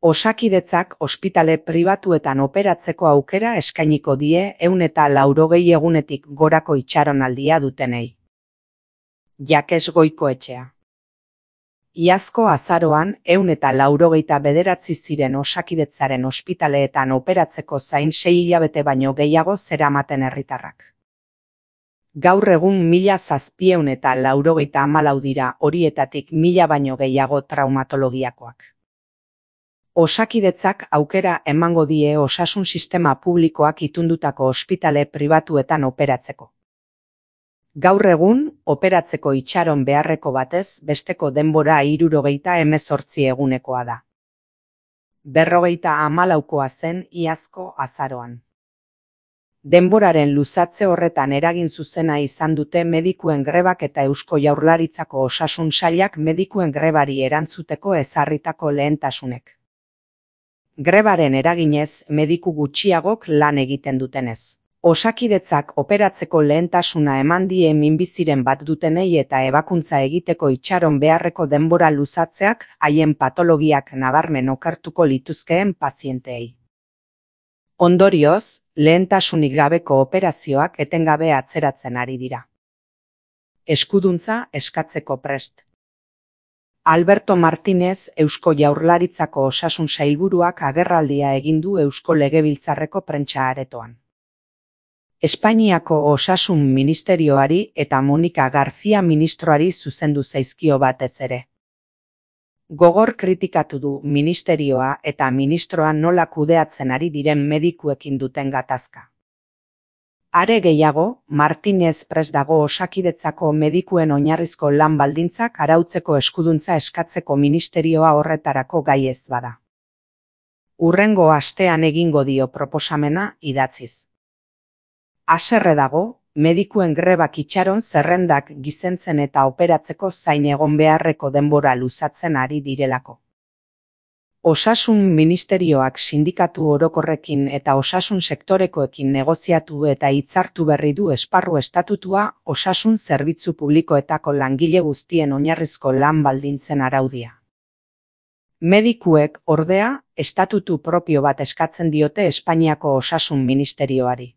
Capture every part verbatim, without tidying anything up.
Osakidetzak ospitale pribatuetan operatzeko aukera eskainiko die ehun eta laurogei egunetik gorako itxaronaldia dutenei. Jakes Goikoetxea. Iazko azaroan ehun eta laurogeita bederatzi ziren Osakidetzaren ospitaleetan operatzeko zain sei hilabete baino gehiago zeramaten herritarrak. Gaur egun mila zazpiehun eta laurogeita hamalau dira, horietatik mila baino gehiago traumatologiakoak. Osakidetzak aukera emango die osasun sistema publikoak itundutako ospitale pribatuetan operatzeko. Gaur egun, operatzeko itxaron beharreko batez besteko denbora hirurogeita hemezortzi egunekoa da. Berrogeita hamalaukoa zen iazko azaroan. Denboraren luzatze horretan eragin zuzena izan dute medikuen grebak eta Eusko Jaurlaritzako osasun sailak medikuen grebari erantzuteko ezarritako lehentasunek. Grebaren eraginez, mediku gutxiagok lan egiten dutenez. Osakidetzak operatzeko lehentasuna eman die minbiziren bat dutenei eta ebakuntza egiteko itxaron beharreko denbora luzatzeak haien patologiak nabarmen okertuko lituzkeen pazienteei. Ondorioz, lehentasunik gabeko operazioak etengabe atzeratzen ari dira. Eskuduntza eskatzeko prest. Alberto Martínez, Eusko Jaurlaritzako osasun sailburuak agerraldia egin du Eusko Legebiltzarreko prentsa aretoan. Espainiako osasun ministerioari eta Monika García ministroari zuzendu zaizkio batez ere. Gogor kritikatu du ministerioa eta ministroa nola kudeatzen ari diren medikuekin duten gatazka. Are gehiago, Martínez prest dago Osakidetzako medikuen oinarrizko lan baldintzak arautzeko eskuduntza eskatzeko ministerioa horretarako gai ez bada. Hurrengo astean egingo dio proposamena idatziz. Haserre dago, medikuen grebak itxaron zerrendak gizentzen eta operatzeko zain egon beharreko denbora luzatzen ari direlako. Osasun ministerioak sindikatu orokorrekin eta osasun sektorekoekin negoziatu eta hitzartu berri du esparru estatutua osasun zerbitzu publikoetako langile guztien oinarrizko lan baldintzen araudia. Medikuek, ordea, estatutu propio bat eskatzen diote Espainiako osasun ministerioari.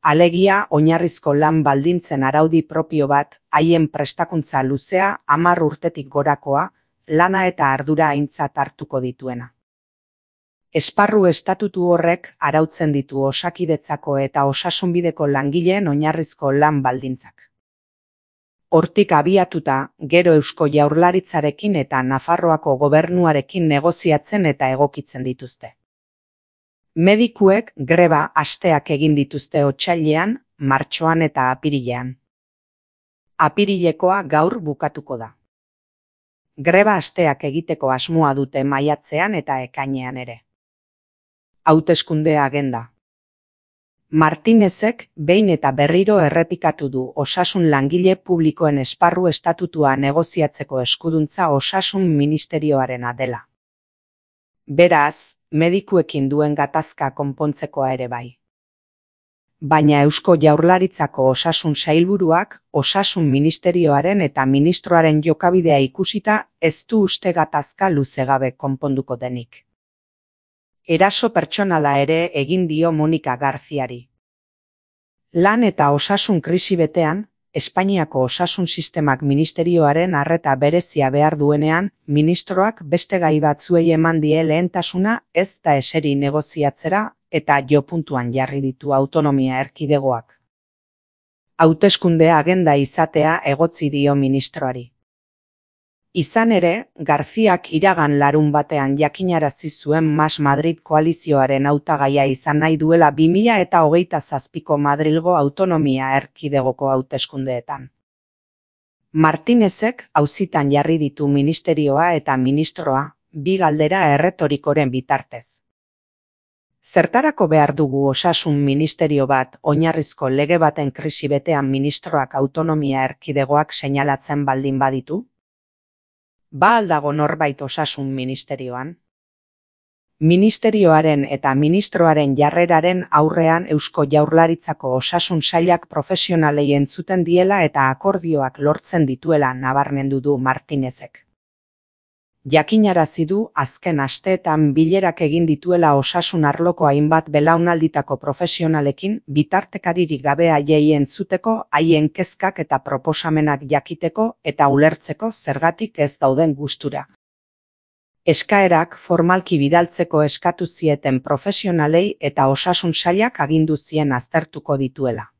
Alegia, oinarrizko lan baldintzen araudi propio bat, haien prestakuntza luzea, hamar urtetik gorakoa, lana eta ardura aintzat hartuko dituena. Esparru estatutu horrek arautzen ditu Osakidetzako eta osasunbideko langileen oinarrizko lan baldintzak. Hortik abiatuta, gero Eusko Jaurlaritzarekin eta Nafarroako gobernuarekin negoziatzen eta egokitzen dituzte. Medikuek greba asteak egin dituzte otsailean, martxoan eta apirilean. Apirilekoa gaur bukatuko da. Greba asteak egiteko asmoa dute maiatzean eta ekainean ere. Hauteskunde agenda. Martínezek behin eta berriro errepikatu du osasun langile publikoen esparru estatutua negoziatzeko eskuduntza osasun ministerioarena dela. Beraz, medikuekin duen gatazka konpontzekoa ere bai. Baina Eusko Jaurlaritzako osasun sailburuak osasun ministerioaren eta ministroaren jokabidea ikusita ez du uste gatazka luzegabe konponduko denik. Eraso pertsonala ere egin dio Monika Garziari. Lan eta osasun krisi betean, Espainiako osasun sistemak ministerioaren arreta berezia behar duenean, ministroak beste gai batzuei eman die lehentasuna ez da eseri negoziatzera eta jo puntuan jarri ditu autonomia erkidegoak. Hauteskunde agenda izatea egotzi dio ministroari. Izan ere, Garziak iragan larun batean jakinarazi zuen Mas Madrid koalizioaren hautagaia izan nahi duela bi mila eta hogeita zazpiko Madrilgo autonomia erkidegoko hauteskundeetan. Martínezek auzitan jarri ditu ministerioa eta ministroa, bi galdera erretorikoren bitartez. Zertarako behar dugu osasun ministerio bat oinarrizko lege baten krisi betean ministroak autonomia erkidegoak seinalatzen baldin baditu? Ba aldago norbait osasun ministerioan? Ministerioaren eta ministroaren jarreraren aurrean Eusko Jaurlaritzako osasun sailak profesionalei entzuten diela eta akordioak lortzen dituela nabarmendu du Martínezek. Jakinarazi du azken asteetan bilerak egin dituela osasun arloko hainbat belaunalditako profesionalekin bitartekaririk gabe haiei entzuteko, haien kezkak eta proposamenak jakiteko eta ulertzeko zergatik ez dauden gustura. Eskaerak formalki bidaltzeko eskatu zieten profesionalei eta osasun sailak agindu zien aztertuko dituela.